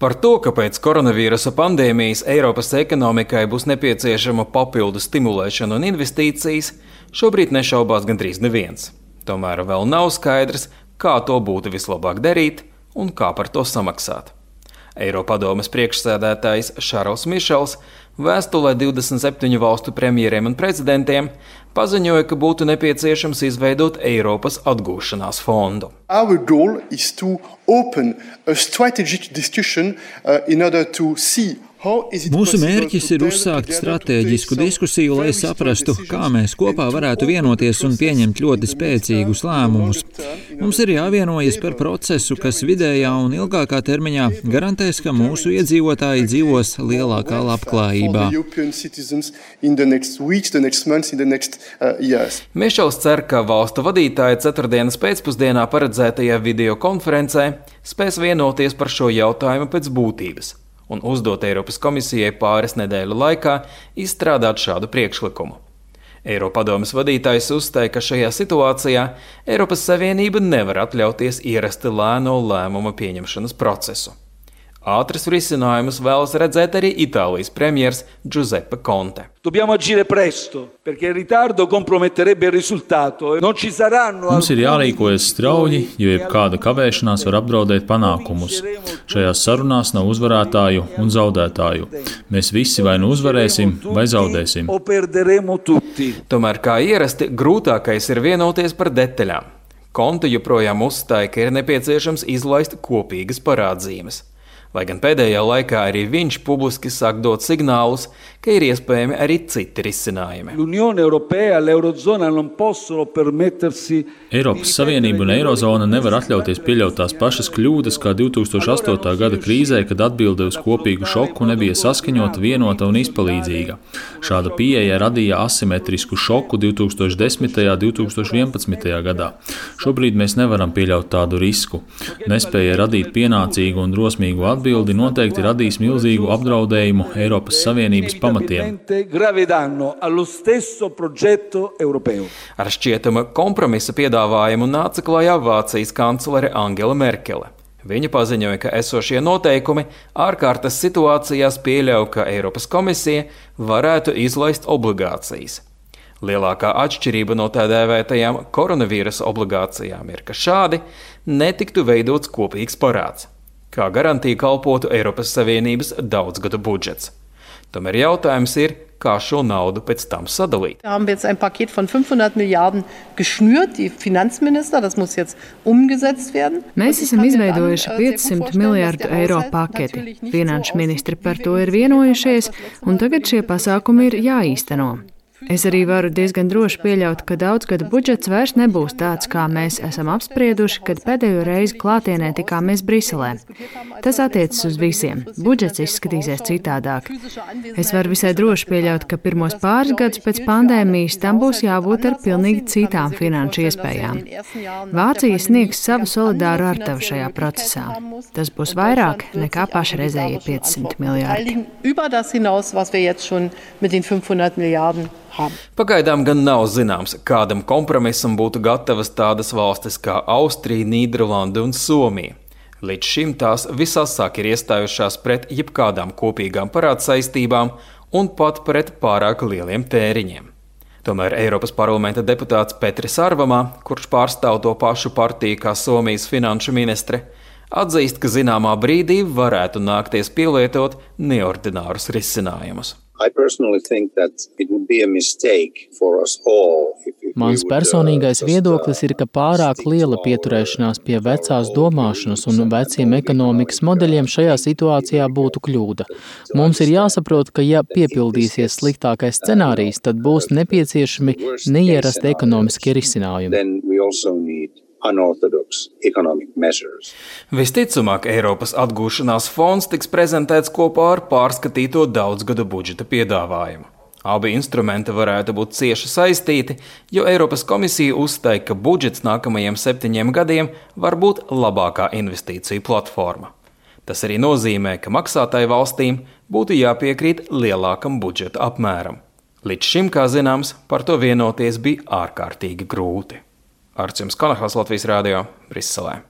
Par to, ka pēc koronavīrusa pandēmijas Eiropas ekonomikai būs nepieciešama papildu stimulēšana un investīcijas, šobrīd nešaubās gandrīz neviens. Tomēr vēl nav skaidrs, kā to būtu vislabāk darīt un kā par to samaksāt. Eiropadomes priekšsēdētājs Šarls Mišels vēstulē 27 valstu premjeriem un prezidentiem paziņoja, ka būtu nepieciešams izveidot Eiropas atgūšanās fondu. Our goal is to open a strategic discussion in order to see. Mūsu mērķis ir uzsākt stratēģisku diskusiju, lai saprastu, kā mēs kopā varētu vienoties un pieņemt ļoti spēcīgus lēmumus. Mums ir jāvienojas par procesu, kas vidējā un ilgākā termiņā garantēs, ka mūsu iedzīvotāji dzīvos lielākā labklājībā. Mišels cer, ka valstu vadītāji ceturtdienas pēcpusdienā paredzētajā videokonferencē spēs vienoties par šo jautājumu pēc būtības un uzdot Eiropas komisijai pāris nedēļu laikā izstrādāt šādu priekšlikumu. Eiropadomes vadītājs uzstāja, ka šajā situācijā Eiropas Savienība nevar atļauties ierasti lēno lēmumu pieņemšanas procesu. Ātras risinājumus vēlas redzēt arī Itālijas premjers Giuseppe Conte. Mums ir jārīkojas strauji, jo jebkāda kavēšanās var apdraudēt panākumus. Šajās sarunās nav uzvarētāju un zaudētāju. Mēs visi vai nu uzvarēsim, vai zaudēsim. Tomēr, kā ierasti, grūtākais ir vienoties par detaļām. Conte joprojām uzstāja, ka ir nepieciešams izlaist kopīgas parādzīmes. Lai gan pēdējā laikā arī viņš publiski sāk dot signālus, ka ir iespējami arī citi risinājumi. Eiropas Savienība un Eirozona nevar atļauties pieļaut tās pašas kļūdas kā 2008. gada krīzē, kad atbilde uz kopīgu šoku nebija saskaņota, vienota un izpalīdzīga. Šāda pieeja radīja asimetrisku šoku 2010. un 2011. gadā. Šobrīd mēs nevaram pieļaut tādu risku. Nespēja radīt pienācīgu un drosmīgu atbildi noteikti radīs milzīgu apdraudējumu Eiropas Savienības pamatiem. Ar šķietama kompromisa piedāvājumu nāca klajā Vācijas kanclere Angela Merkele. Viņa paziņoja, ka esošie noteikumi ārkārtas situācijās pieļauj, ka Eiropas komisija varētu izlaist obligācijas. Lielākā atšķirība no tā dēvētajām koronavīrusa obligācijām ir, ka šādi netiktu veidots kopīgs parāds. Kā garantija kalpotu Eiropas Savienības daudzgadu budžets. Tomēr jautājums ir, kā šo naudu pēc tam sadalīt. Mēs esam izveidojuši 500 miljārdu eiro paketi. Finanšu ministri par to ir vienojušies, un tagad šie pasākumi ir jāīsteno. Es arī varu diezgan droši pieļaut, ka daudzgadu budžets vairs nebūs tāds, kā mēs esam apsprieduši, kad pēdējo reizi klātienē tikāmies Briselē. Tas attiecas uz visiem. Budžets izskatīsies citādāk. Es varu visai droši pieļaut, ka pirmos pāris gadus pēc pandēmijas tam būs jābūt ar pilnīgi citām finanšu iespējām. Vācija sniegs savu solidāru artavu šajā procesā. Tas būs vairāk nekā pašreizējie 500 miljārdi. Pagaidām gan nav zināms, kādam kompromisam būtu gatavas tādas valstis kā Austrija, Nīderlande un Somija. Līdz šim tās visasāk ir iestājušās pret jebkādām kopīgām parādsaistībām un pat pret pārāk lieliem tēriņiem. Tomēr Eiropas parlamenta deputāts Petris Sarvamā, kurš pārstāv to pašu partiju kā Somijas finanšu ministre, atzīst, ka zināmā brīdī varētu nākties pielietot neordinārus risinājumus. Mans personīgais viedoklis ir, ka pārāk liela pieturēšanās pie vecās domāšanas un veciem ekonomikas modeļiem šajā situācijā būtu kļūda. Mums ir jāsaprot, ka ja piepildīsies sliktākais scenārijs, tad būs nepieciešami neierasti ekonomiskie risinājumi. Visticamāk, Eiropas atgūšanās fonds tiks prezentēts kopā ar pārskatīto daudzgadu budžeta piedāvājumu. Abi instrumenti varētu būt cieši saistīti, jo Eiropas komisija uzstāja, ka budžets nākamajiem 7 gadiem var būt labākā investīciju platforma. Tas arī nozīmē, ka maksātāju valstīm būtu jāpiekrīt lielākam budžeta apmēram. Līdz šim, kā zināms, par to vienoties bija ārkārtīgi grūti. Arčuns Konahals, Latvijas Rādio, Briselē.